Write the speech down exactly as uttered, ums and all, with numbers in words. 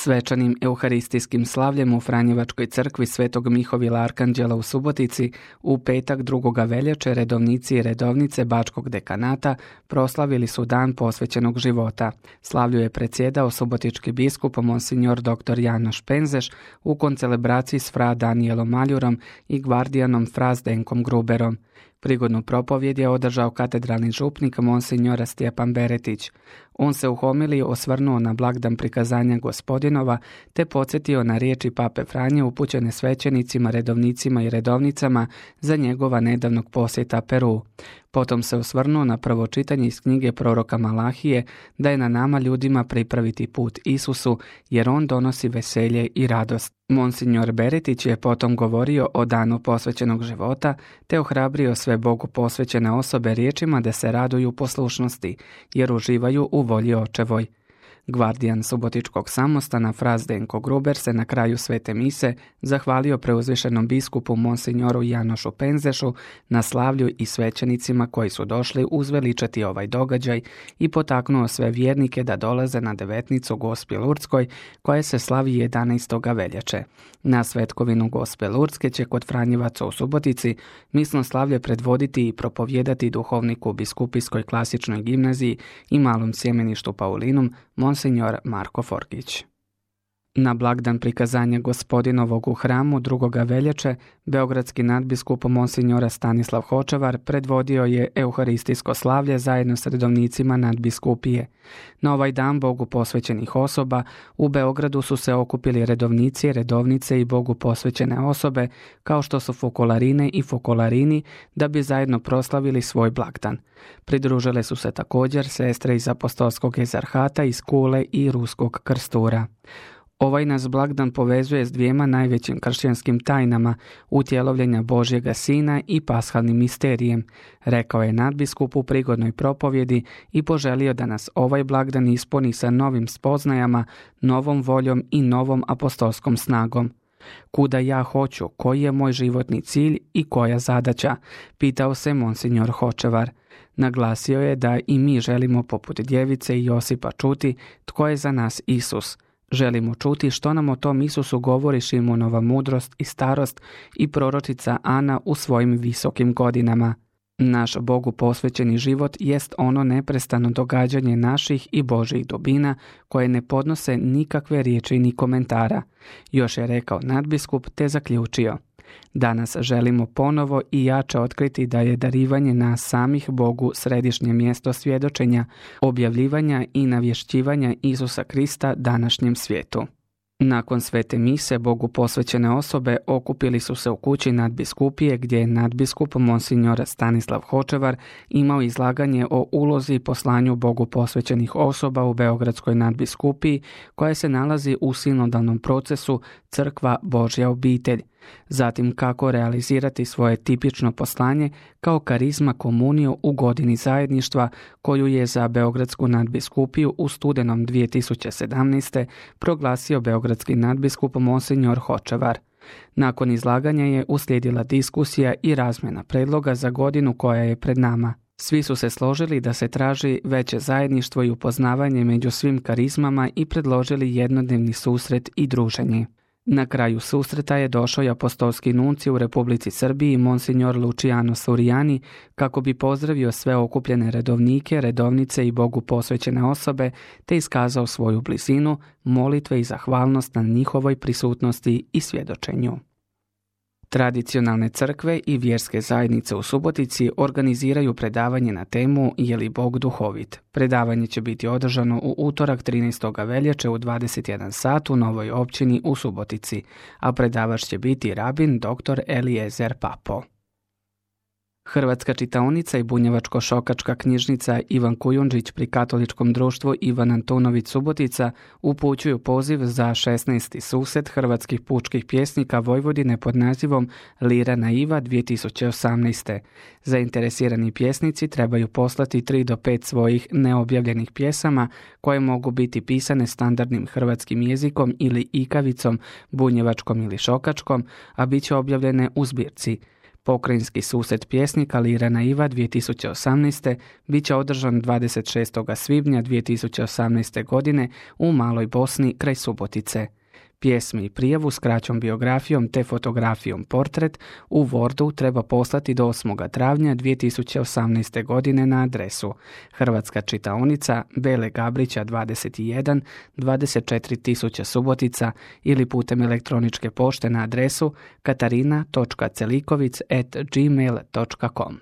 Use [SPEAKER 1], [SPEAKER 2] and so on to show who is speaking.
[SPEAKER 1] Svečanim euharistijskim slavljem u Franjevačkoj crkvi Svetog Mihovila Arkanđela u Subotici u petak drugoga veljače redovnici i redovnice Bačkog dekanata proslavili su dan posvećenog života. Slavlju je predsjedao subotički biskup monsignor dr. Janoš Penzeš u koncelebraciji s fra Danijelom Maljurom i gvardijanom fra Zdenkom Gruberom. Prigodnu propovjed je održao katedralni župnik monsignor Stjepan Beretić. On se u homiliji osvrnuo na blagdan prikazanja Gospodinova te podsjetio na riječi pape Franje upućene svećenicima, redovnicima i redovnicama za njegova nedavnog posjeta Peru. Potom se osvrnuo na prvo čitanje iz knjige proroka Malahije da je na nama ljudima pripraviti put Isusu jer on donosi veselje i radost. Monsignor Beretić je potom govorio o danu posvećenog života te ohrabrio sve Bogu posvećene osobe riječima da se raduju poslušnosti jer uživaju u volji očevoj. Gvardijan subotičkog samostana fra Zdenko Gruber se na kraju svete mise zahvalio preuzvišenom biskupu monsignoru Janošu Penzešu na slavlju i svećenicima koji su došli uzveličati ovaj događaj i potaknuo sve vjernike da dolaze na devetnicu Gospi Lurdskoj koja se slavi jedanaestog veljače. Na svetkovinu Gospe Lurdske će kod Franjevaca u Subotici misno slavlje predvoditi i propovijedati duhovnik u Biskupijskoj klasičnoj gimnaziji i malom sjemeništu Paulinum monsignor Marko Forgić. Na blagdan prikazanja Gospodinovog u hramu drugoga veljače beogradski nadbiskup monsignora Stanislav Hočevar predvodio je euharistijsko slavlje zajedno s redovnicima nadbiskupije. Na ovaj dan Bogu posvećenih osoba u Beogradu su se okupili redovnici, redovnice i Bogu posvećene osobe kao što su fokolarine i fokolarini da bi zajedno proslavili svoj blagdan. Pridružile su se također sestre iz apostolskog ezarhata iz Kule i Ruskog Krstura. Ovaj nas blagdan povezuje s dvijema najvećim kršćanskim tajnama utjelovljenja Božjega Sina i pashalnim misterijem, rekao je nadbiskup u prigodnoj propovjedi i poželio da nas ovaj blagdan ispuni sa novim spoznajama, novom voljom i novom apostolskom snagom. Kuda ja hoću, koji je moj životni cilj i koja zadaća, pitao se monsignor Hočevar. Naglasio je da i mi želimo poput djevice i Josipa čuti tko je za nas Isus. Želimo čuti što nam o tom Isusu govori Šimonova mudrost i starost i proročica Ana u svojim visokim godinama. Naš Bogu posvećeni život jest ono neprestano događanje naših i Božjih dubina koje ne podnose nikakve riječi ni komentara. Još je rekao nadbiskup te zaključio. Danas želimo ponovo i jače otkriti da je darivanje nas samih Bogu središnje mjesto svjedočenja, objavljivanja i navješćivanja Isusa Krista današnjem svijetu. Nakon svete mise Bogu posvećene osobe okupili su se u kući nadbiskupije gdje je nadbiskup monsignor Stanislav Hočevar imao izlaganje o ulozi i poslanju Bogu posvećenih osoba u Beogradskoj nadbiskupiji koja se nalazi u sinodalnom procesu Crkva Božja obitelj. Zatim kako realizirati svoje tipično poslanje kao karizma komuniju u godini zajedništva koju je za Beogradsku nadbiskupiju u studenom dvije tisuće sedamnaeste. proglasio beogradski nadbiskup monsignor Hočevar. Nakon izlaganja je uslijedila diskusija i razmjena predloga za godinu koja je pred nama. Svi su se složili da se traži veće zajedništvo i upoznavanje među svim karizmama i predložili jednodnevni susret i druženje. Na kraju susreta je došao i apostolski nunci u Republici Srbiji monsignor Luciano Suriani kako bi pozdravio sve okupljene redovnike, redovnice i Bogu posvećene osobe te iskazao svoju blizinu, molitve i zahvalnost na njihovoj prisutnosti i svjedočenju. Tradicionalne crkve i vjerske zajednice u Subotici organiziraju predavanje na temu Je li Bog duhovit? Predavanje će biti održano u utorak trinaestog veljače u dvadeset jedan sat u Novoj općini u Subotici, a predavač će biti rabin dr. Eliezer Papo. Hrvatska čitaonica i bunjevačko-šokačka knjižnica Ivan Kujundžić pri Katoličkom društvu Ivan Antunović Subotica upućuju poziv za šesnaesti susret hrvatskih pučkih pjesnika Vojvodine pod nazivom Lira naiva dvije tisuće osamnaeste. Zainteresirani pjesnici trebaju poslati tri do pet svojih neobjavljenih pjesama koje mogu biti pisane standardnim hrvatskim jezikom ili ikavicom, bunjevačkom ili šokačkom, a bit će objavljene u zbirci Pokrajinski susret pjesnika Lira naiva dvije tisuće osamnaeste bit će održan dvadeset šestog svibnja dvije tisuće osamnaeste. godine u Maloj Bosni kraj Subotice. Pjesmi i prijavu s kraćom biografijom te fotografijom portret u Wordu treba poslati do osmog travnja dvije tisuće osamnaeste. godine na adresu Hrvatska čitaonica Bele Gabrića dvadeset jedan, dvadeset četiri tisuće Subotica ili putem elektroničke pošte na adresu katarina točka celikovic at gmail točka com.